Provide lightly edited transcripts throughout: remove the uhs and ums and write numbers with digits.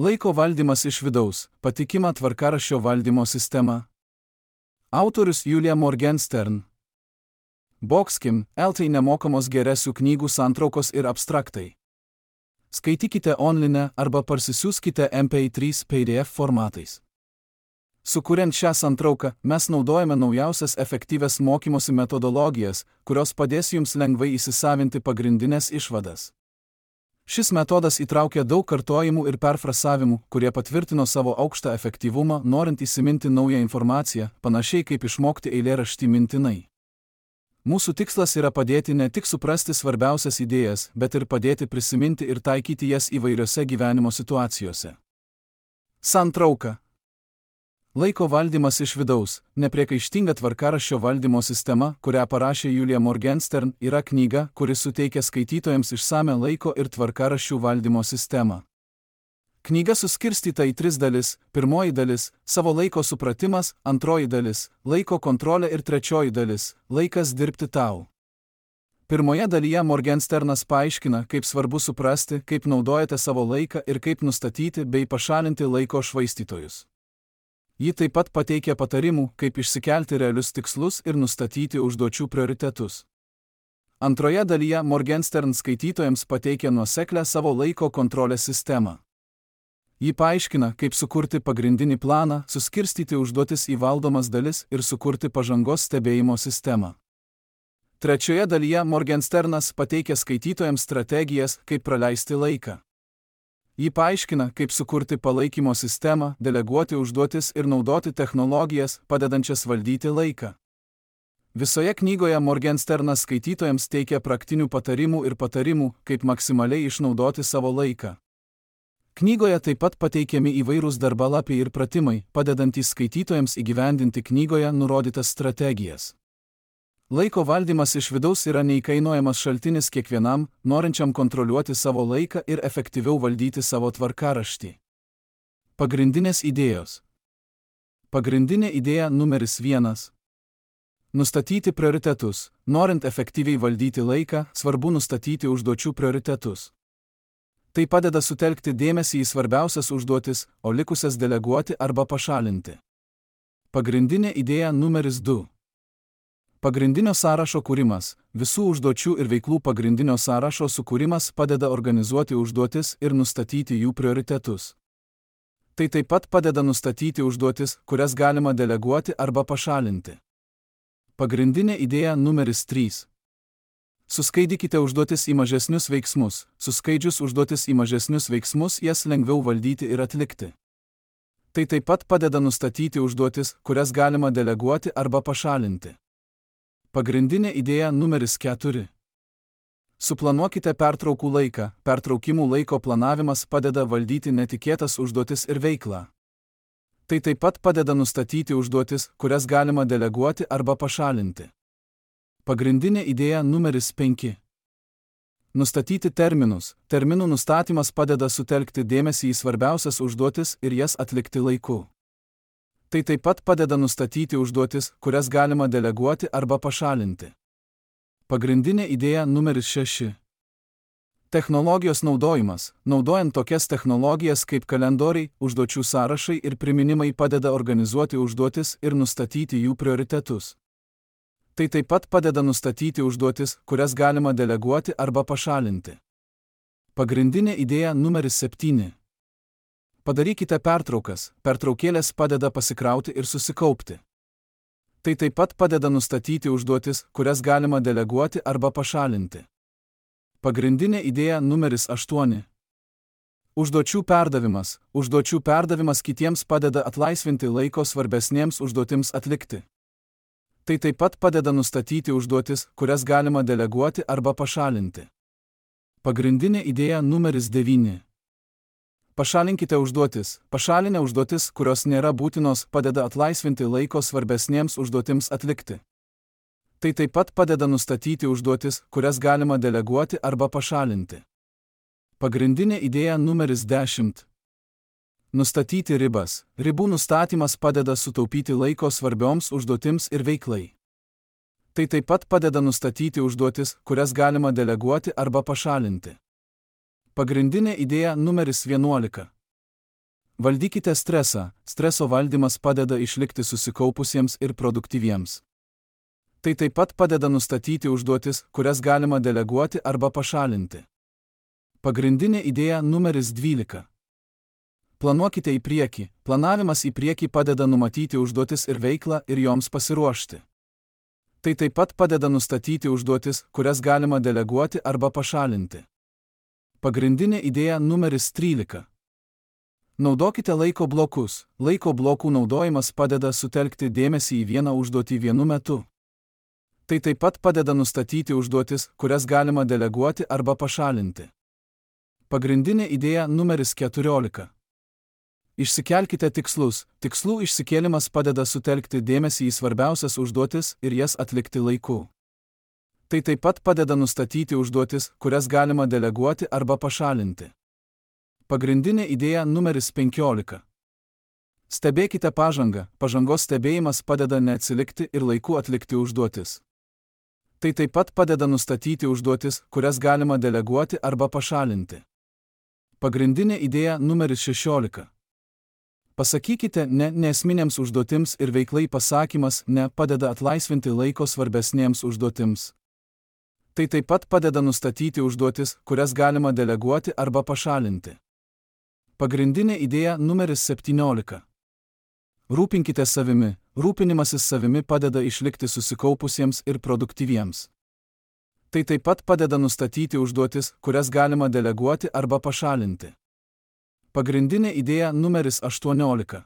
Laiko valdymas iš vidaus – patikima tvarkaraščio valdymo sistema. Autorius Julia Morgenstern. Boxkim, LT nemokamos geresių knygų santraukos ir abstraktai. Skaitykite online arba parsisiųskite MP3 PDF formatais. Sukuriant šią santrauką, mes naudojame naujausias efektyvias mokymosi metodologijas, kurios padės jums lengvai įsisavinti pagrindinės išvadas. Šis metodas įtraukia daug kartojimų ir perfrasavimų, kurie patvirtino savo aukštą efektyvumą, norint įsiminti naują informaciją, panašiai kaip išmokti eilėraštį mintinai. Mūsų tikslas yra padėti ne tik suprasti svarbiausias idėjas, bet ir padėti prisiminti ir taikyti jas įvairiose gyvenimo situacijose. Santrauka. Laiko valdymas iš vidaus – nepriekaištinga tvarkaraščio valdymo sistema, kurią parašė Julia Morgenstern, yra knyga, kuri suteikia skaitytojams išsamią laiko ir tvarkaraščių valdymo sistemą. Knyga suskirstyta į 3 dalis. Pirmoji dalis – savo laiko supratimas, antroji dalis – laiko kontrolė ir trečioji dalis – laikas dirbti tau. Pirmoje dalyje Morgensternas paaiškina, kaip svarbu suprasti, kaip naudojate savo laiką ir kaip nustatyti bei pašalinti laiko švaistytojus. Ji taip pat pateikia patarimų, kaip išsikelti realius tikslus ir nustatyti užduočių prioritetus. Antroje dalyje Morgenstern skaitytojams pateikia nuoseklią savo laiko kontrolės sistemą. Ji paaiškina, kaip sukurti pagrindinį planą, suskirstyti užduotis į valdomas dalis ir sukurti pažangos stebėjimo sistemą. Trečioje dalyje Morgensternas pateikia skaitytojams strategijas, kaip praleisti laiką. Ji paaiškina, kaip sukurti palaikymo sistemą, deleguoti užduotis ir naudoti technologijas, padedančias valdyti laiką. Visoje knygoje Morgensternas skaitytojams teikia praktinių patarimų ir patarimų, kaip maksimaliai išnaudoti savo laiką. Knygoje taip pat pateikiami įvairūs darbalapiai ir pratimai, padedantys skaitytojams įgyvendinti knygoje nurodytas strategijas. Laiko valdymas iš vidaus yra neįkainojamas šaltinis kiekvienam, norinčiam kontroliuoti savo laiką ir efektyviau valdyti savo tvarkaraštį. Pagrindinės idėjos. Pagrindinė idėja numeris 1. Nustatyti prioritetus. Norint efektyviai valdyti laiką, svarbu nustatyti užduočių prioritetus. Tai padeda sutelkti dėmesį į svarbiausias užduotis, o likusias deleguoti arba pašalinti. Pagrindinė idėja numeris 2. Pagrindinio sąrašo kūrimas. Visų užduočių ir veiklų pagrindinio sąrašo sukūrimas padeda organizuoti užduotis ir nustatyti jų prioritetus. Tai taip pat padeda nustatyti užduotis, kurias galima deleguoti arba pašalinti. Pagrindinė idėja numeris 3. Suskaidykite užduotis į mažesnius veiksmus. Suskaidžius užduotis į mažesnius veiksmus, jas lengviau valdyti ir atlikti. Tai taip pat padeda nustatyti užduotis, kurias galima deleguoti arba pašalinti. Pagrindinė idėja numeris 4. Suplanuokite pertraukų laiką. Pertraukimų laiko planavimas padeda valdyti netikėtas užduotis ir veiklą. Tai taip pat padeda nustatyti užduotis, kurias galima deleguoti arba pašalinti. Pagrindinė idėja numeris 5. Nustatyti terminus. Terminų nustatymas padeda sutelkti dėmesį į svarbiausias užduotis ir jas atlikti laiku. Tai taip pat padeda nustatyti užduotis, kurias galima deleguoti arba pašalinti. Pagrindinė idėja numeris 6. Technologijos naudojimas. Naudojant tokias technologijas kaip kalendoriai, užduočių sąrašai ir priminimai padeda organizuoti užduotis ir nustatyti jų prioritetus. Tai taip pat padeda nustatyti užduotis, kurias galima deleguoti arba pašalinti. Pagrindinė idėja numeris 7. Padarykite pertraukas. Pertraukėlės padeda pasikrauti ir susikaupti. Tai taip pat padeda nustatyti užduotis, kurias galima deleguoti arba pašalinti. Pagrindinė idėja numeris 8. Užduočių perdavimas. Užduočių perdavimas kitiems padeda atlaisvinti laiko svarbesnėms užduotims atlikti. Tai taip pat padeda nustatyti užduotis, kurias galima deleguoti arba pašalinti. Pagrindinė idėja numeris 9. Pašalinkite užduotis. Pašalinę užduotis, kurios nėra būtinos, padeda atlaisvinti laiko svarbesnėms užduotims atlikti. Tai taip pat padeda nustatyti užduotis, kurias galima deleguoti arba pašalinti. Pagrindinė idėja numeris 10. Nustatyti ribas. Ribų nustatymas padeda sutaupyti laiko svarbioms užduotims ir veiklai. Tai taip pat padeda nustatyti užduotis, kurias galima deleguoti arba pašalinti. Pagrindinė idėja numeris 11. Valdykite stresą. Streso valdymas padeda išlikti susikaupusiems ir produktyviems. Tai taip pat padeda nustatyti užduotis, kurias galima deleguoti arba pašalinti. Pagrindinė idėja numeris 12. Planuokite į priekį. Planavimas į priekį padeda numatyti užduotis ir veiklą ir joms pasiruošti. Tai taip pat padeda nustatyti užduotis, kurias galima deleguoti arba pašalinti. Pagrindinė idėja numeris 13. Naudokite laiko blokus. Laiko blokų naudojimas padeda sutelkti dėmesį į vieną užduotį vienu metu. Tai taip pat padeda nustatyti užduotis, kurias galima deleguoti arba pašalinti. Pagrindinė idėja numeris 14. Išsikelkite tikslus. Tikslų išsikėlimas padeda sutelkti dėmesį į svarbiausias užduotis ir jas atlikti laiku. Tai taip pat padeda nustatyti užduotis, kurias galima deleguoti arba pašalinti. Pagrindinė idėja numeris 15. Stebėkite pažangą. Pažangos stebėjimas padeda neatsilikti ir laiku atlikti užduotis. Tai taip pat padeda nustatyti užduotis, kurias galima deleguoti arba pašalinti. Pagrindinė idėja numeris 16. Pasakykite ne nesminėms užduotims ir veiklai pasakymas ne padeda atlaisvinti laiko svarbesnėms užduotims. Tai taip pat padeda nustatyti užduotis, kurias galima deleguoti arba pašalinti. Pagrindinė idėja numeris 17. Rūpinkite savimi. Rūpinimasis savimi padeda išlikti susikaupusiems ir produktyviems. Tai taip pat padeda nustatyti užduotis, kurias galima deleguoti arba pašalinti. Pagrindinė idėja numeris 18.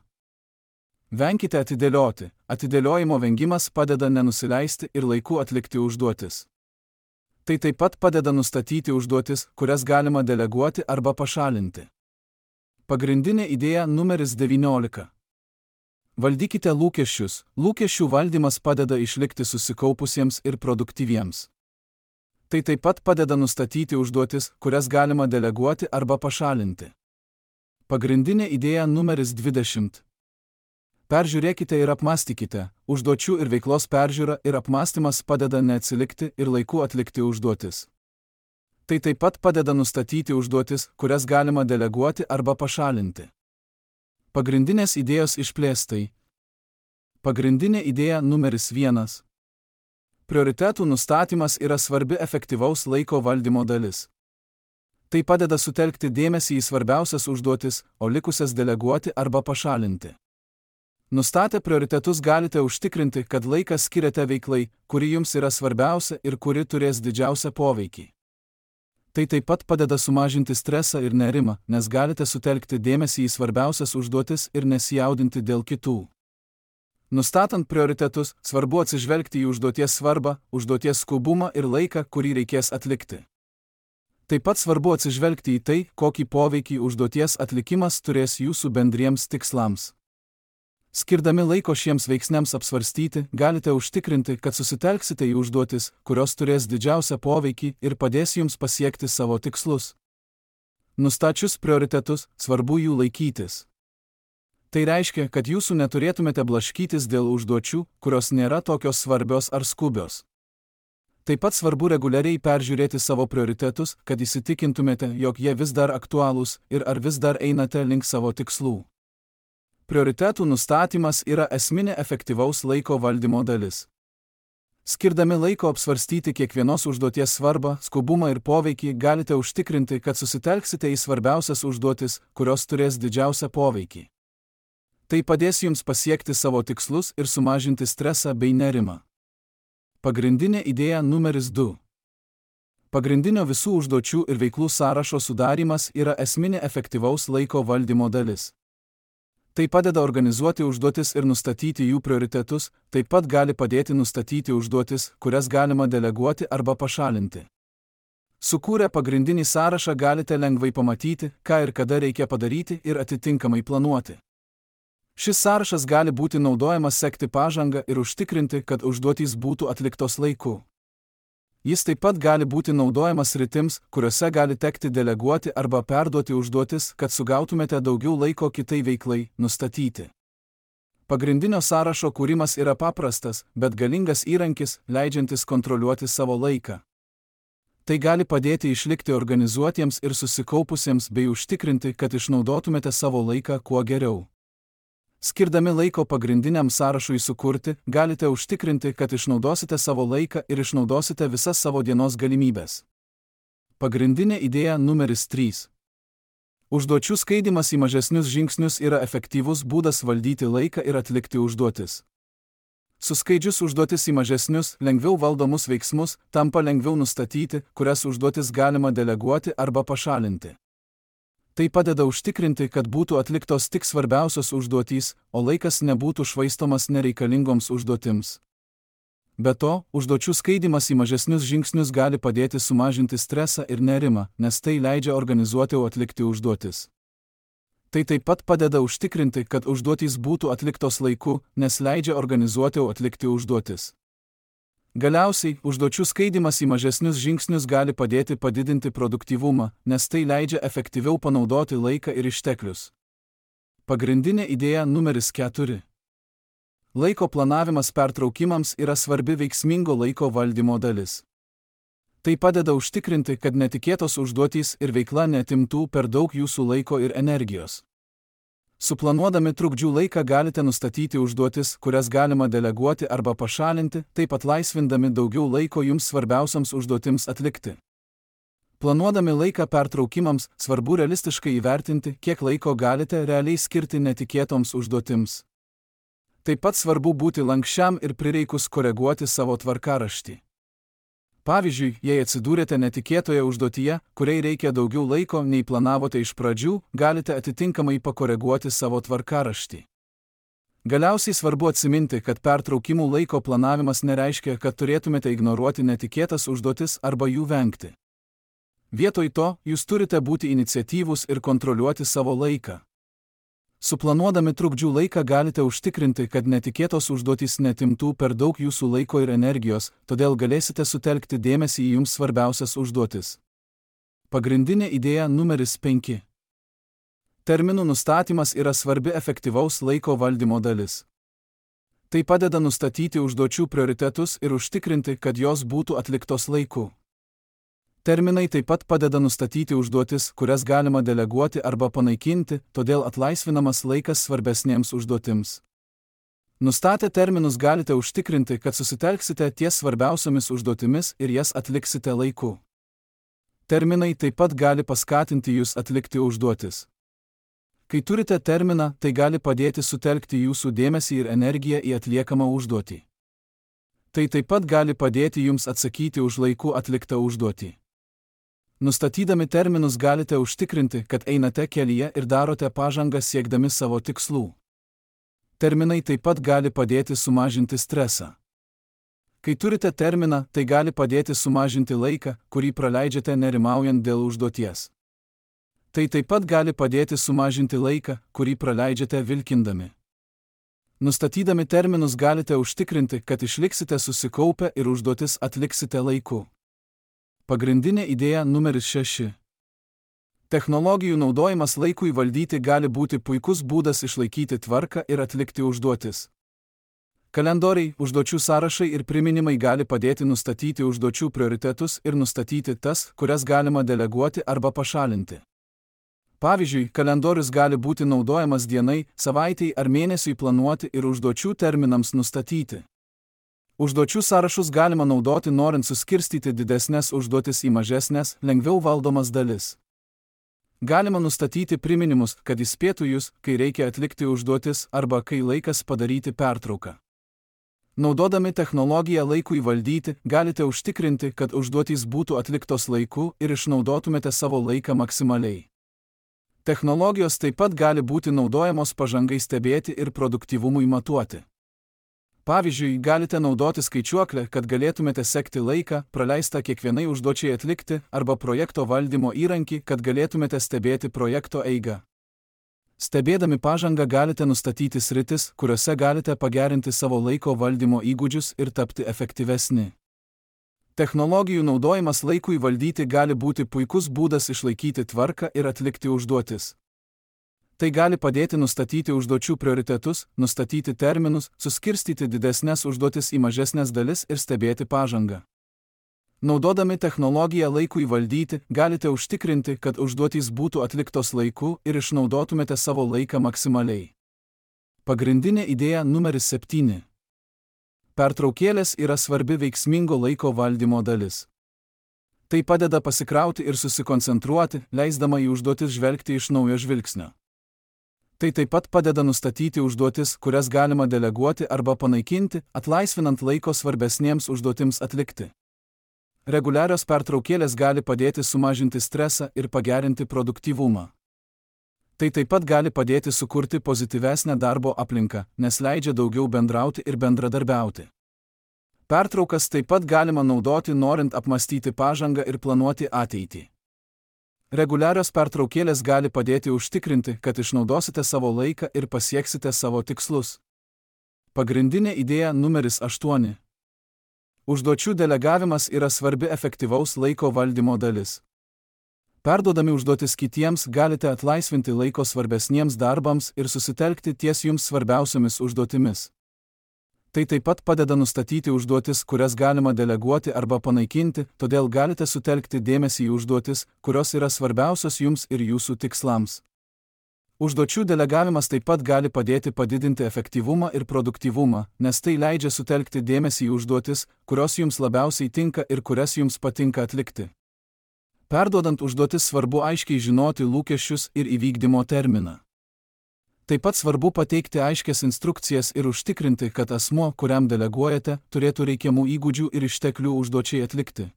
Venkite atidėlioti. Atidėliojimo vengimas padeda nenusileisti ir laiku atlikti užduotis. Tai taip pat padeda nustatyti užduotis, kurias galima deleguoti arba pašalinti. Pagrindinė idėja numeris 19. Valdykite lūkesčius. Lūkesčių valdymas padeda išlikti susikaupusiems ir produktyviems. Tai taip pat padeda nustatyti užduotis, kurias galima deleguoti arba pašalinti. Pagrindinė idėja numeris 20. Peržiūrėkite ir apmąstykite. Užduočių ir veiklos peržiūra ir apmąstymas padeda neatsilikti ir laiku atlikti užduotis. Tai taip pat padeda nustatyti užduotis, kurias galima deleguoti arba pašalinti. Pagrindinės idėjos išplėstai. Pagrindinė idėja numeris 1. Prioritetų nustatymas yra svarbi efektyvaus laiko valdymo dalis. Tai padeda sutelkti dėmesį į svarbiausias užduotis, o likusias deleguoti arba pašalinti. Nustatę prioritetus galite užtikrinti, kad laiką skiriate veiklai, kuri jums yra svarbiausia ir kuri turės didžiausią poveikį. Tai taip pat padeda sumažinti stresą ir nerimą, nes galite sutelkti dėmesį į svarbiausias užduotis ir nesijaudinti dėl kitų. Nustatant prioritetus, svarbu atsižvelgti į užduoties svarbą, užduoties skubumą ir laiką, kurį reikės atlikti. Taip pat svarbu atsižvelgti į tai, kokį poveikį užduoties atlikimas turės jūsų bendriems tikslams. Skirdami laiko šiems veiksniams apsvarstyti, galite užtikrinti, kad susitelksite į užduotis, kurios turės didžiausią poveikį ir padės jums pasiekti savo tikslus. Nustačius prioritetus, svarbu jų laikytis. Tai reiškia, kad jūsų neturėtumėte blaškytis dėl užduočių, kurios nėra tokios svarbios ar skubios. Taip pat svarbu reguliariai peržiūrėti savo prioritetus, kad įsitikintumėte, jog jie vis dar aktualūs ir ar vis dar einate link savo tikslų. Prioritetų nustatymas yra esminė efektyvaus laiko valdymo dalis. Skirdami laiko apsvarstyti kiekvienos užduoties svarbą, skubumą ir poveikį, galite užtikrinti, kad susitelksite į svarbiausias užduotis, kurios turės didžiausią poveikį. Tai padės jums pasiekti savo tikslus ir sumažinti stresą bei nerimą. Pagrindinė idėja numeris 2. Pagrindinio visų užduočių ir veiklų sąrašo sudarymas yra esminė efektyvaus laiko valdymo dalis. Tai padeda organizuoti užduotis ir nustatyti jų prioritetus, taip pat gali padėti nustatyti užduotis, kurias galima deleguoti arba pašalinti. Sukūrę pagrindinį sąrašą galite lengvai pamatyti, ką ir kada reikia padaryti ir atitinkamai planuoti. Šis sąrašas gali būti naudojamas sekti pažangą ir užtikrinti, kad užduotys būtų atliktos laiku. Jis taip pat gali būti naudojamas sritims, kuriuose gali tekti deleguoti arba perduoti užduotis, kad sugautumėte daugiau laiko kitai veiklai nustatyti. Pagrindinio sąrašo kūrimas yra paprastas, bet galingas įrankis, leidžiantis kontroliuoti savo laiką. Tai gali padėti išlikti organizuotiems ir susikaupusiems bei užtikrinti, kad išnaudotumėte savo laiką kuo geriau. Skirdami laiko pagrindiniam sąrašui sukurti, galite užtikrinti, kad išnaudosite savo laiką ir išnaudosite visas savo dienos galimybės. Pagrindinė idėja numeris 3. Užduočių skaidimas į mažesnius žingsnius yra efektyvus būdas valdyti laiką ir atlikti užduotis. Suskaidžius užduotis į mažesnius, lengviau valdomus veiksmus, tampa lengviau nustatyti, kurias užduotis galima deleguoti arba pašalinti. Tai padeda užtikrinti, kad būtų atliktos tik svarbiausios užduotys, o laikas nebūtų švaistomas nereikalingoms užduotims. Be to, užduočių skaidimas į mažesnius žingsnius gali padėti sumažinti stresą ir nerimą, nes tai leidžia organizuotiau atlikti užduotis. Tai taip pat padeda užtikrinti, kad užduotys būtų atliktos laiku, nes leidžia organizuotiau atlikti užduotis. Galiausiai, užduočių skaidimas į mažesnius žingsnius gali padėti padidinti produktyvumą, nes tai leidžia efektyviau panaudoti laiką ir išteklius. Pagrindinė idėja numeris 4. Laiko planavimas pertraukimams yra svarbi veiksmingo laiko valdymo dalis. Tai padeda užtikrinti, kad netikėtos užduotys ir veikla neatimtų per daug jūsų laiko ir energijos. Suplanuodami trukdžių laiką galite nustatyti užduotis, kurias galima deleguoti arba pašalinti, taip pat laisvindami daugiau laiko jums svarbiausiams užduotims atlikti. Planuodami laiką pertraukimams, svarbu realistiškai įvertinti, kiek laiko galite realiai skirti netikėtoms užduotims. Taip pat svarbu būti lanksčiam ir prireikus koreguoti savo tvarkaraštį. Pavyzdžiui, jei atsidūrėte netikėtoje užduotyje, kuriai reikia daugiau laiko nei planavote iš pradžių, galite atitinkamai pakoreguoti savo tvarkaraštį. Galiausiai svarbu atsiminti, kad pertraukimų laiko planavimas nereiškia, kad turėtumėte ignoruoti netikėtas užduotis arba jų vengti. Vietoj to, jūs turite būti iniciatyvūs ir kontroliuoti savo laiką. Suplanuodami trukdžių laiką galite užtikrinti, kad netikėtos užduotys neatimtų per daug jūsų laiko ir energijos, todėl galėsite sutelkti dėmesį į jums svarbiausias užduotis. Pagrindinė idėja numeris 5. Terminų nustatymas yra svarbi efektyvaus laiko valdymo dalis. Tai padeda nustatyti užduočių prioritetus ir užtikrinti, kad jos būtų atliktos laiku. Terminai taip pat padeda nustatyti užduotis, kurias galima deleguoti arba panaikinti, todėl atlaisvinamas laikas svarbesnėms užduotims. Nustatę terminus galite užtikrinti, kad susitelksite ties svarbiausiomis užduotimis ir jas atliksite laiku. Terminai taip pat gali paskatinti jūs atlikti užduotis. Kai turite terminą, tai gali padėti sutelkti jūsų dėmesį ir energiją į atliekamą užduotį. Tai taip pat gali padėti jums atsakyti už laiku atliktą užduotį. Nustatydami terminus galite užtikrinti, kad einate kelyje ir darote pažangą siekdami savo tikslų. Terminai taip pat gali padėti sumažinti stresą. Kai turite terminą, tai gali padėti sumažinti laiką, kurį praleidžiate nerimaujant dėl užduoties. Tai taip pat gali padėti sumažinti laiką, kurį praleidžiate vilkindami. Nustatydami terminus galite užtikrinti, kad išliksite susikaupę ir užduotis atliksite laiku. Pagrindinė idėja numeris 6. Technologijų naudojimas laikui valdyti gali būti puikus būdas išlaikyti tvarką ir atlikti užduotis. Kalendoriai, užduočių sąrašai ir priminimai gali padėti nustatyti užduočių prioritetus ir nustatyti tas, kurias galima deleguoti arba pašalinti. Pavyzdžiui, kalendorius gali būti naudojamas dienai, savaitei ar mėnesiui planuoti ir užduočių terminams nustatyti. Užduočių sąrašus galima naudoti norint suskirstyti didesnės užduotis į mažesnės, lengviau valdomas dalis. Galima nustatyti priminimus, kad įspėtų jūs, kai reikia atlikti užduotis arba kai laikas padaryti pertrauką. Naudodami technologiją laikui valdyti, galite užtikrinti, kad užduotys būtų atliktos laiku ir išnaudotumėte savo laiką maksimaliai. Technologijos taip pat gali būti naudojamos pažangai stebėti ir produktyvumui matuoti. Pavyzdžiui, galite naudoti skaičiuoklę, kad galėtumėte sekti laiką, praleistą kiekvienai užduočiai atlikti, arba projekto valdymo įrankį, kad galėtumėte stebėti projekto eigą. Stebėdami pažangą galite nustatyti sritis, kuriuose galite pagerinti savo laiko valdymo įgūdžius ir tapti efektyvesni. Technologijų naudojimas laikui valdyti gali būti puikus būdas išlaikyti tvarką ir atlikti užduotis. Tai gali padėti nustatyti užduočių prioritetus, nustatyti terminus, suskirstyti didesnės užduotis į mažesnės dalis ir stebėti pažangą. Naudodami technologiją laikui valdyti, galite užtikrinti, kad užduotys būtų atliktos laiku ir išnaudotumėte savo laiką maksimaliai. Pagrindinė idėja numeris 7. Pertraukėlės yra svarbi veiksmingo laiko valdymo dalis. Tai padeda pasikrauti ir susikoncentruoti, leisdama į užduotis žvelgti iš naujo žvilgsnio. Tai taip pat padeda nustatyti užduotis, kurias galima deleguoti arba panaikinti, atlaisvinant laiko svarbesniems užduotims atlikti. Reguliarios pertraukėlės gali padėti sumažinti stresą ir pagerinti produktyvumą. Tai taip pat gali padėti sukurti pozityvesnę darbo aplinką, nes leidžia daugiau bendrauti ir bendradarbiauti. Pertraukas taip pat galima naudoti norint apmastyti pažangą ir planuoti ateitį. Reguliarios pertraukėlės gali padėti užtikrinti, kad išnaudosite savo laiką ir pasieksite savo tikslus. Pagrindinė idėja numeris 8. Užduočių delegavimas yra svarbi efektyvaus laiko valdymo dalis. Perduodami užduotis kitiems galite atlaisvinti laiko svarbesniems darbams ir susitelkti ties jums svarbiausiomis užduotimis. Tai taip pat padeda nustatyti užduotis, kurias galima deleguoti arba panaikinti, todėl galite sutelkti dėmesį į užduotis, kurios yra svarbiausios jums ir jūsų tikslams. Užduočių delegavimas taip pat gali padėti padidinti efektyvumą ir produktyvumą, nes tai leidžia sutelkti dėmesį į užduotis, kurios jums labiausiai tinka ir kurias jums patinka atlikti. Perduodant užduotis svarbu aiškiai žinoti lūkesčius ir įvykdymo terminą. Taip pat svarbu pateikti aiškias instrukcijas ir užtikrinti, kad asmuo, kuriam deleguojate, turėtų reikiamų įgūdžių ir išteklių užduočiai atlikti.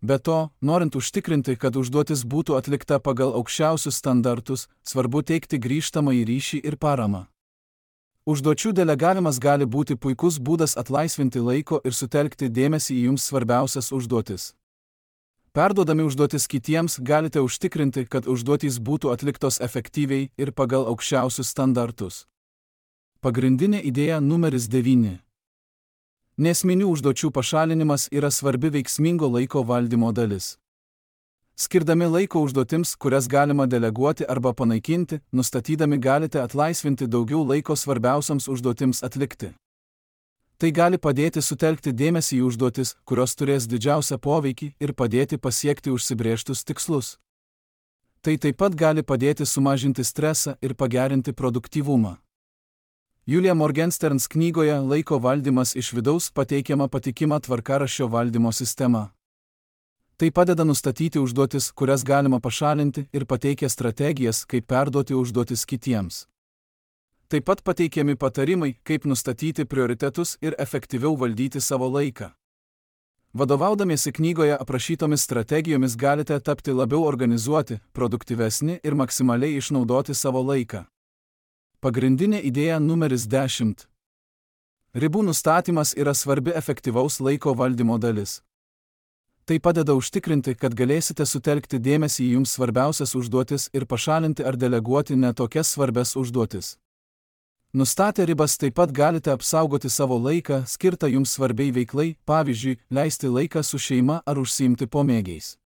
Be to, norint užtikrinti, kad užduotis būtų atlikta pagal aukščiausius standartus, svarbu teikti grįžtamąjį ryšį ir paramą. Užduočių delegavimas gali būti puikus būdas atlaisvinti laiko ir sutelkti dėmesį į jums svarbiausias užduotis. Perduodami užduotis kitiems galite užtikrinti, kad užduotys būtų atliktos efektyviai ir pagal aukščiausius standartus. Pagrindinė idėja numeris 9. Nesminių užduočių pašalinimas yra svarbi veiksmingo laiko valdymo dalis. Skirdami laiko užduotims, kurias galima deleguoti arba panaikinti, nustatydami galite atlaisvinti daugiau laiko svarbiausiams užduotims atlikti. Tai gali padėti sutelkti dėmesį į užduotis, kurios turės didžiausią poveikį ir padėti pasiekti užsibrėžtus tikslus. Tai taip pat gali padėti sumažinti stresą ir pagerinti produktyvumą. Julia Morgensterns knygoje Laiko valdymas iš vidaus pateikiama patikima tvarkaraščio valdymo sistema. Tai padeda nustatyti užduotis, kurias galima pašalinti ir pateikia strategijas, kaip perduoti užduotis kitiems. Taip pat pateikiami patarimai, kaip nustatyti prioritetus ir efektyviau valdyti savo laiką. Vadovaudamiesi knygoje aprašytomis strategijomis galite tapti labiau organizuoti, produktyvesni ir maksimaliai išnaudoti savo laiką. Pagrindinė idėja numeris 10. Ribų nustatymas yra svarbi efektyvaus laiko valdymo dalis. Tai padeda užtikrinti, kad galėsite sutelkti dėmesį į jums svarbiausias užduotis ir pašalinti ar deleguoti netokias svarbias užduotis. Nustatę ribas taip pat galite apsaugoti savo laiką, skirtą jums svarbiai veiklai, pavyzdžiui, leisti laiką su šeima ar užsiimti pomėgiais.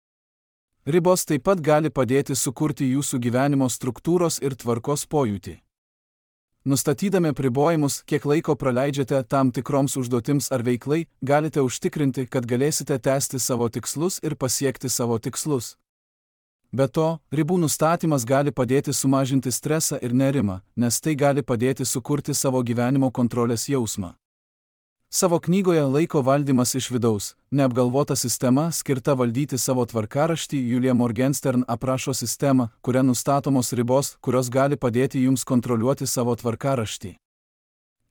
Ribos taip pat gali padėti sukurti jūsų gyvenimo struktūros ir tvarkos pojūtį. Nustatydami apribojimus, kiek laiko praleidžiate tam tikroms užduotims ar veiklai, galite užtikrinti, kad galėsite tęsti savo tikslus ir pasiekti savo tikslus. Be to, ribų nustatymas gali padėti sumažinti stresą ir nerimą, nes tai gali padėti sukurti savo gyvenimo kontrolės jausmą. Savo knygoje Laiko valdymas iš vidaus, neapgalvota sistema skirta valdyti savo tvarkaraštį, Julia Morgenstern aprašo sistemą, kuria nustatomos ribos, kurios gali padėti jums kontroliuoti savo tvarkaraštį.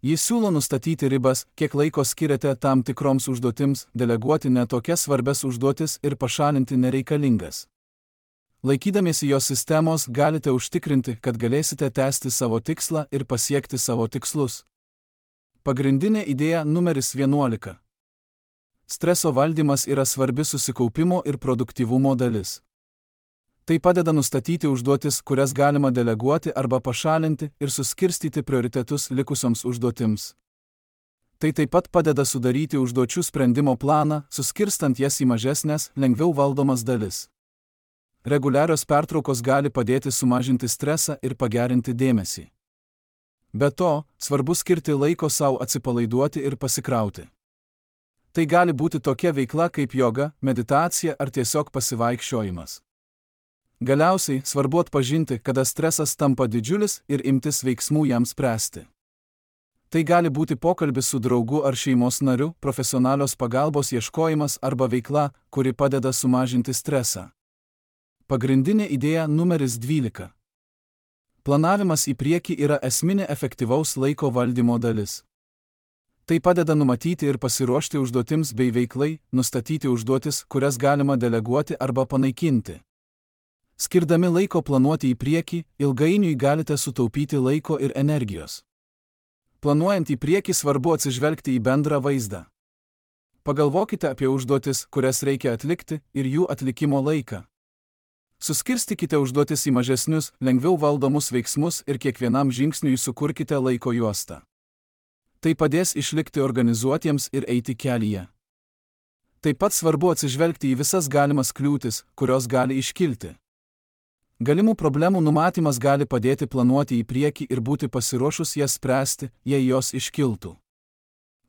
Jis siūlo nustatyti ribas, kiek laiko skiriate tam tikroms užduotims, deleguoti netokias svarbias užduotis ir pašalinti nereikalingas. Laikydamiesi jos sistemos galite užtikrinti, kad galėsite tęsti savo tikslą ir pasiekti savo tikslus. Pagrindinė idėja numeris 11. Streso valdymas yra svarbi susikaupimo ir produktyvumo dalis. Tai padeda nustatyti užduotis, kurias galima deleguoti arba pašalinti ir suskirstyti prioritetus likusioms užduotims. Tai taip pat padeda sudaryti užduočių sprendimo planą, suskirstant jas į mažesnės, lengviau valdomas dalis. Reguliarios pertraukos gali padėti sumažinti stresą ir pagerinti dėmesį. Be to, svarbu skirti laiko savo atsipalaiduoti ir pasikrauti. Tai gali būti tokia veikla kaip joga, meditacija ar tiesiog pasivaikščiojimas. Galiausiai svarbu atpažinti, kada stresas tampa didžiulis ir imtis veiksmų jam spręsti. Tai gali būti pokalbis su draugu ar šeimos nariu, profesionalios pagalbos ieškojimas arba veikla, kuri padeda sumažinti stresą. Pagrindinė idėja numeris 12. Planavimas į priekį yra esminė efektyvaus laiko valdymo dalis. Tai padeda numatyti ir pasiruošti užduotims bei veiklai, nustatyti užduotis, kurias galima deleguoti arba panaikinti. Skirdami laiko planuoti į priekį, ilgainiui galite sutaupyti laiko ir energijos. Planuojant į priekį svarbu atsižvelgti į bendrą vaizdą. Pagalvokite apie užduotis, kurias reikia atlikti, ir jų atlikimo laiką. Suskirstykite užduotis į mažesnius, lengviau valdomus veiksmus ir kiekvienam žingsniui sukurkite laiko juostą. Tai padės išlikti organizuotiems ir eiti kelyje. Taip pat svarbu atsižvelgti į visas galimas kliūtis, kurios gali iškilti. Galimų problemų numatymas gali padėti planuoti į priekį ir būti pasiruošus jas spręsti, jei jos iškiltų.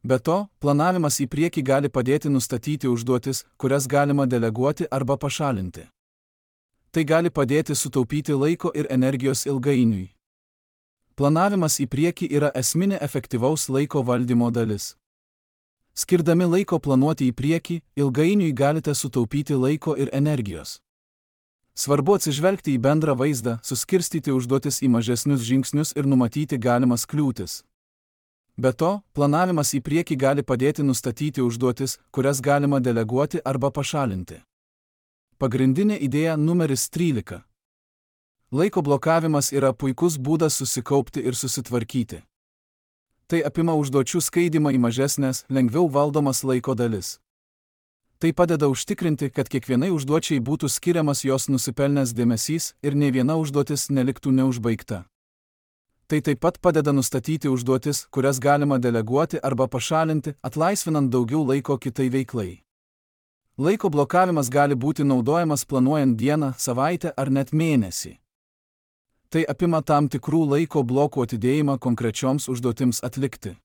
Be to, planavimas į priekį gali padėti nustatyti užduotis, kurias galima deleguoti arba pašalinti. Tai gali padėti sutaupyti laiko ir energijos ilgainiui. Planavimas į priekį yra esminė efektyvaus laiko valdymo dalis. Skirdami laiko planuoti į priekį, ilgainiui galite sutaupyti laiko ir energijos. Svarbu atsižvelgti į bendrą vaizdą, suskirstyti užduotis į mažesnius žingsnius ir numatyti galimas kliūtis. Be to, planavimas į priekį gali padėti nustatyti užduotis, kurias galima deleguoti arba pašalinti. Pagrindinė idėja numeris 13. Laiko blokavimas yra puikus būdas susikaupti ir susitvarkyti. Tai apima užduočių skaidymą į mažesnės, lengviau valdomas laiko dalis. Tai padeda užtikrinti, kad kiekvienai užduočiai būtų skiriamas jos nusipelnęs dėmesys ir nė viena užduotis neliktų neužbaigta. Tai taip pat padeda nustatyti užduotis, kurias galima deleguoti arba pašalinti, atlaisvinant daugiau laiko kitai veiklai. Laiko blokavimas gali būti naudojamas planuojant dieną, savaitę ar net mėnesį. Tai apima tam tikrų laiko blokų atidėjimą konkrečioms užduotims atlikti.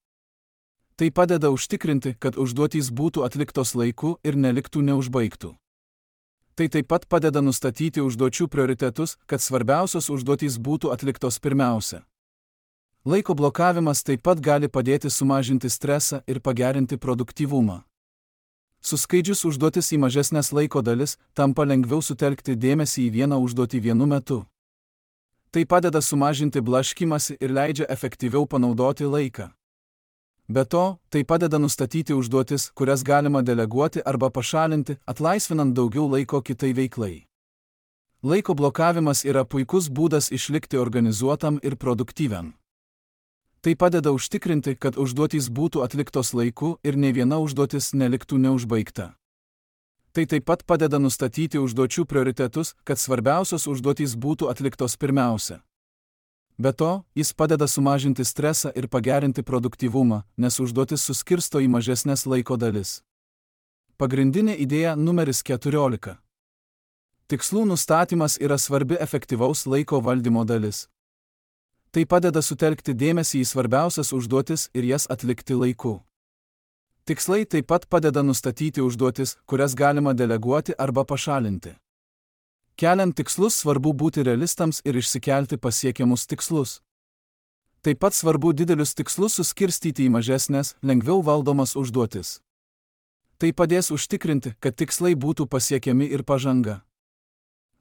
Tai padeda užtikrinti, kad užduotys būtų atliktos laiku ir neliktų neužbaigtų. Tai taip pat padeda nustatyti užduočių prioritetus, kad svarbiausios užduotys būtų atliktos pirmiausia. Laiko blokavimas taip pat gali padėti sumažinti stresą ir pagerinti produktyvumą. Suskaidžius užduotis į mažesnės laiko dalis, tampa lengviau sutelkti dėmesį į vieną užduotį vienu metu. Tai padeda sumažinti blaškymąsi ir leidžia efektyviau panaudoti laiką. Be to, tai padeda nustatyti užduotis, kurias galima deleguoti arba pašalinti, atlaisvinant daugiau laiko kitai veiklai. Laiko blokavimas yra puikus būdas išlikti organizuotam ir produktyviam. Tai padeda užtikrinti, kad užduotys būtų atliktos laiku ir nė viena užduotis neliktų neužbaigta. Tai taip pat padeda nustatyti užduočių prioritetus, kad svarbiausios užduotys būtų atliktos pirmiausia. Be to, jis padeda sumažinti stresą ir pagerinti produktyvumą, nes užduotis suskirsto į mažesnės laiko dalis. Pagrindinė idėja numeris 14. Tikslų nustatymas yra svarbi efektyvaus laiko valdymo dalis. Tai padeda sutelkti dėmesį į svarbiausias užduotis ir jas atlikti laiku. Tikslai taip pat padeda nustatyti užduotis, kurias galima deleguoti arba pašalinti. Keliant tikslus svarbu būti realistams ir išsikelti pasiekiamus tikslus. Taip pat svarbu didelius tikslus suskirstyti į mažesnės, lengviau valdomas užduotis. Tai padės užtikrinti, kad tikslai būtų pasiekiami ir pažanga.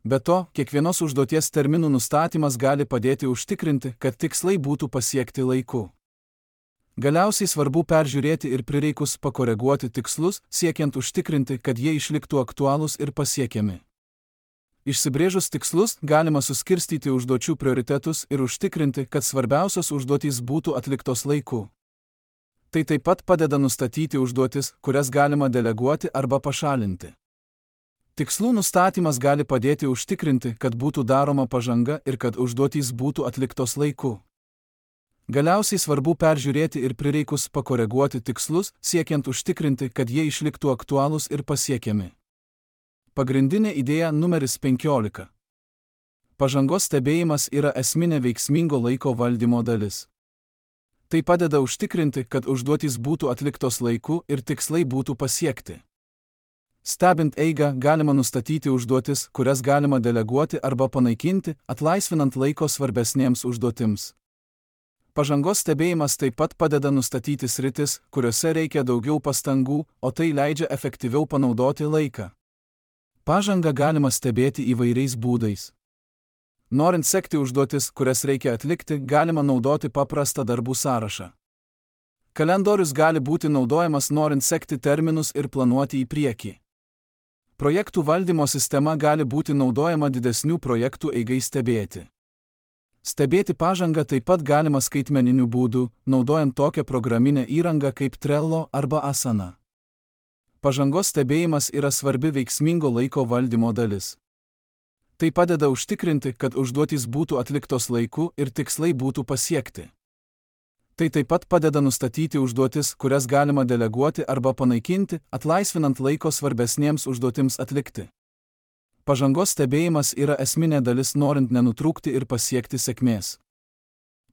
Be to, kiekvienos užduoties terminų nustatymas gali padėti užtikrinti, kad tikslai būtų pasiekti laiku. Galiausiai svarbu peržiūrėti ir prireikus pakoreguoti tikslus, siekiant užtikrinti, kad jie išliktų aktualūs ir pasiekiami. Išsibrėžus tikslus, galima suskirstyti užduočių prioritetus ir užtikrinti, kad svarbiausios užduotys būtų atliktos laiku. Tai taip pat padeda nustatyti užduotis, kurias galima deleguoti arba pašalinti. Tikslų nustatymas gali padėti užtikrinti, kad būtų daroma pažanga ir kad užduotys būtų atliktos laiku. Galiausiai svarbu peržiūrėti ir prireikus pakoreguoti tikslus, siekiant užtikrinti, kad jie išliktų aktualūs ir pasiekiami. Pagrindinė idėja numeris 15. Pažangos stebėjimas yra esminė veiksmingo laiko valdymo dalis. Tai padeda užtikrinti, kad užduotys būtų atliktos laiku ir tikslai būtų pasiekti. Stebint eigą galima nustatyti užduotis, kurias galima deleguoti arba panaikinti, atlaisvinant laiko svarbesnėms užduotims. Pažangos stebėjimas taip pat padeda nustatyti sritis, kuriuose reikia daugiau pastangų, o tai leidžia efektyviau panaudoti laiką. Pažangą galima stebėti įvairiais būdais. Norint sekti užduotis, kurias reikia atlikti, galima naudoti paprastą darbų sąrašą. Kalendorius gali būti naudojamas norint sekti terminus ir planuoti į priekį. Projektų valdymo sistema gali būti naudojama didesnių projektų eigai stebėti. Stebėti pažangą taip pat galima skaitmeniniu būdu, naudojant tokią programinę įrangą kaip Trello arba Asana. Pažangos stebėjimas yra svarbi veiksmingo laiko valdymo dalis. Tai padeda užtikrinti, kad užduotys būtų atliktos laiku ir tikslai būtų pasiekti. Tai taip pat padeda nustatyti užduotis, kurias galima deleguoti arba panaikinti, atlaisvinant laiko svarbesnėms užduotims atlikti. Pažangos stebėjimas yra esminė dalis norint nenutrūkti ir pasiekti sėkmės.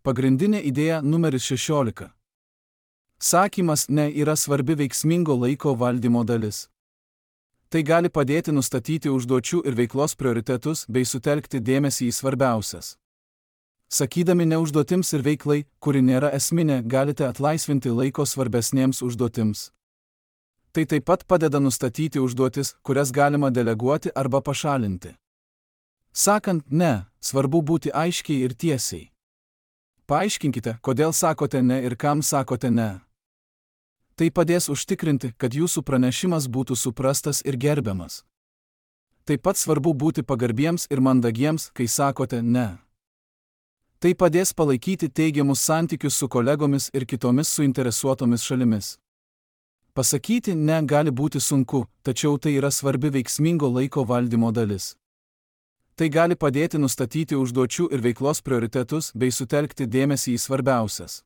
Pagrindinė idėja numeris 16. Sakymas ne yra svarbi veiksmingo laiko valdymo dalis. Tai gali padėti nustatyti užduočių ir veiklos prioritetus bei sutelkti dėmesį į svarbiausias. Sakydami ne užduotims ir veiklai, kuri nėra esminė, galite atlaisvinti laiko svarbesnėms užduotims. Tai taip pat padeda nustatyti užduotis, kurias galima deleguoti arba pašalinti. Sakant ne, svarbu būti aiškiai ir tiesiai. Paaiškinkite, kodėl sakote ne ir kam sakote ne. Tai padės užtikrinti, kad jūsų pranešimas būtų suprastas ir gerbiamas. Taip pat svarbu būti pagarbiems ir mandagiems, kai sakote ne. Tai padės palaikyti teigiamus santykius su kolegomis ir kitomis suinteresuotomis šalimis. Pasakyti ne gali būti sunku, tačiau tai yra svarbi veiksmingo laiko valdymo dalis. Tai gali padėti nustatyti užduočių ir veiklos prioritetus bei sutelkti dėmesį į svarbiausias.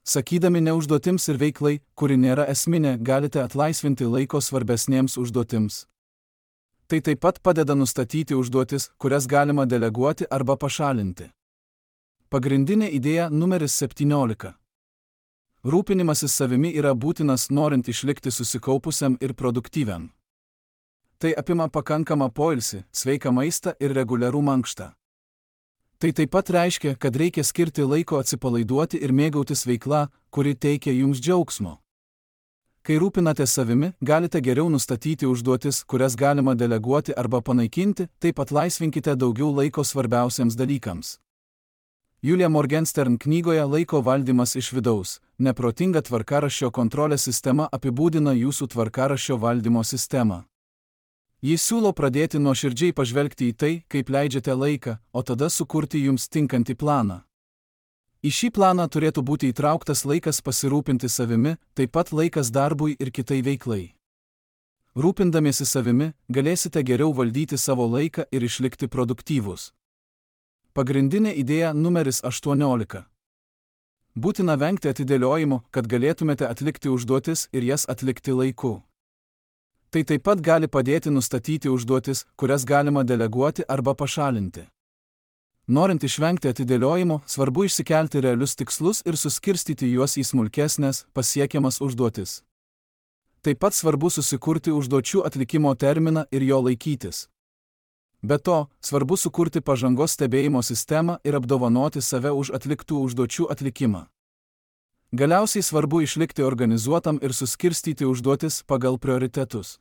Sakydami ne užduotims ir veiklai, kuri nėra esminė, galite atlaisvinti laiko svarbesnėms užduotims. Tai taip pat padeda nustatyti užduotis, kurias galima deleguoti arba pašalinti. Pagrindinė idėja numeris 17. Rūpinimasis savimi yra būtinas norint išlikti susikaupusiam ir produktyviam. Tai apima pakankamą poilsį, sveiką maistą ir reguliarų mankštą. Tai taip pat reiškia, kad reikia skirti laiko atsipalaiduoti ir mėgautis veikla, kuri teikia jums džiaugsmo. Kai rūpinate savimi, galite geriau nustatyti užduotis, kurias galima deleguoti arba panaikinti, taip atlaisvinkite daugiau laiko svarbiausiams dalykams. Julia Morgenstern knygoje Laiko valdymas iš vidaus, neprotinga tvarkaraščio kontrolės sistema apibūdina jūsų tvarkaraščio valdymo sistemą. Jis siūlo pradėti nuoširdžiai pažvelgti į tai, kaip leidžiate laiką, o tada sukurti jums tinkantį planą. Į šį planą turėtų būti įtrauktas laikas pasirūpinti savimi, taip pat laikas darbui ir kitai veiklai. Rūpindamiesi savimi, galėsite geriau valdyti savo laiką ir išlikti produktyvūs. Pagrindinė idėja numeris 18. Būtina vengti atidėliojimo, kad galėtumėte atlikti užduotis ir jas atlikti laiku. Tai taip pat gali padėti nustatyti užduotis, kurias galima deleguoti arba pašalinti. Norint išvengti atidėliojimo, svarbu išsikelti realius tikslus ir suskirstyti juos į smulkesnės, pasiekiamas užduotis. Taip pat svarbu susikurti užduočių atlikimo terminą ir jo laikytis. Be to, svarbu sukurti pažangos stebėjimo sistemą ir apdovanoti save už atliktų užduočių atlikimą. Galiausiai svarbu išlikti organizuotam ir suskirstyti užduotis pagal prioritetus.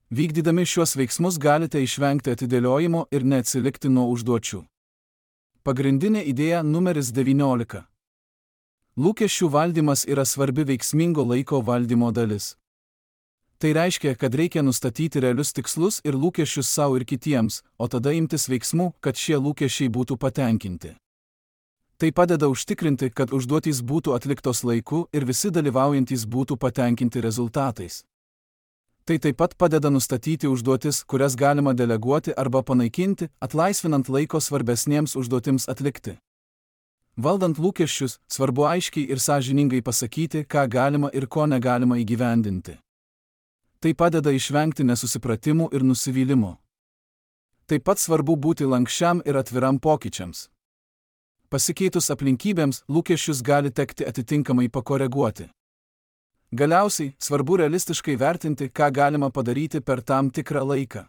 Vykdydami šiuos veiksmus galite išvengti atidėliojimo ir neatsilikti nuo užduočių. Pagrindinė idėja numeris 19. Lūkesčių valdymas yra svarbi veiksmingo laiko valdymo dalis. Tai reiškia, kad reikia nustatyti realius tikslus ir lūkesčius savo ir kitiems, o tada imtis veiksmų, kad šie lūkesčiai būtų patenkinti. Tai padeda užtikrinti, kad užduotys būtų atliktos laiku ir visi dalyvaujantys būtų patenkinti rezultatais. Tai taip pat padeda nustatyti užduotis, kurias galima deleguoti arba panaikinti, atlaisvinant laiko svarbesnėms užduotims atlikti. Valdant lūkesčius, svarbu aiškiai ir sąžiningai pasakyti, ką galima ir ko negalima įgyvendinti. Tai padeda išvengti nesusipratimų ir nusivylimų. Taip pat svarbu būti lankščiam ir atviram pokyčiams. Pasikeitus aplinkybėms, lūkesčius gali tekti atitinkamai pakoreguoti. Galiausiai, svarbu realistiškai vertinti, ką galima padaryti per tam tikrą laiką.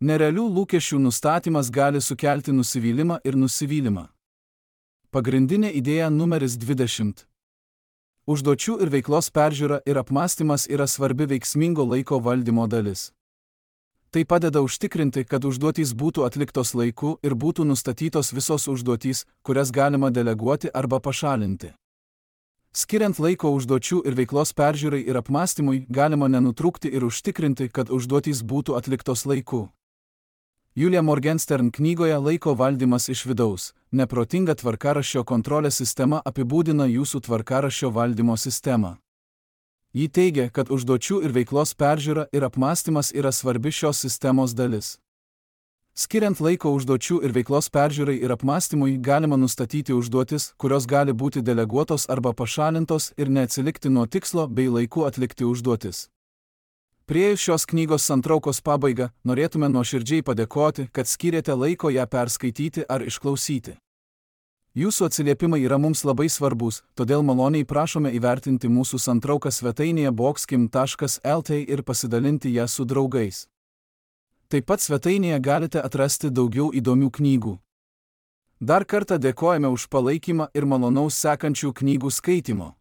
Nerealių lūkesčių nustatymas gali sukelti nusivylimą ir nusivylimą. Pagrindinė idėja numeris 20. Užduočių ir veiklos peržiūra ir apmąstymas yra svarbi veiksmingo laiko valdymo dalis. Tai padeda užtikrinti, kad užduotys būtų atliktos laiku ir būtų nustatytos visos užduotys, kurias galima deleguoti arba pašalinti. Skiriant laiko užduočių ir veiklos peržiūrai ir apmąstymui, galima nenutrūkti ir užtikrinti, kad užduotys būtų atliktos laiku. Julia Morgenstern knygoje Laiko valdymas iš vidaus – neprotinga tvarkaraščio kontrolės sistema apibūdina jūsų tvarkaraščio valdymo sistemą. Ji teigia, kad užduočių ir veiklos peržiūra ir apmąstymas yra svarbi šios sistemos dalis. Skiriant laiko užduočių ir veiklos peržiūrai ir apmąstymui, galima nustatyti užduotis, kurios gali būti deleguotos arba pašalintos ir neatsilikti nuo tikslo bei laiku atlikti užduotis. Priėjus šios knygos santraukos pabaigą, norėtume nuoširdžiai padėkoti, kad skyrėte laiko ją perskaityti ar išklausyti. Jūsų atsiliepimai yra mums labai svarbus, todėl maloniai prašome įvertinti mūsų santrauką svetainėje boxkim.lt ir pasidalinti ją su draugais. Taip pat svetainėje galite atrasti daugiau įdomių knygų. Dar kartą dėkojame už palaikymą ir malonaus sekančių knygų skaitimo.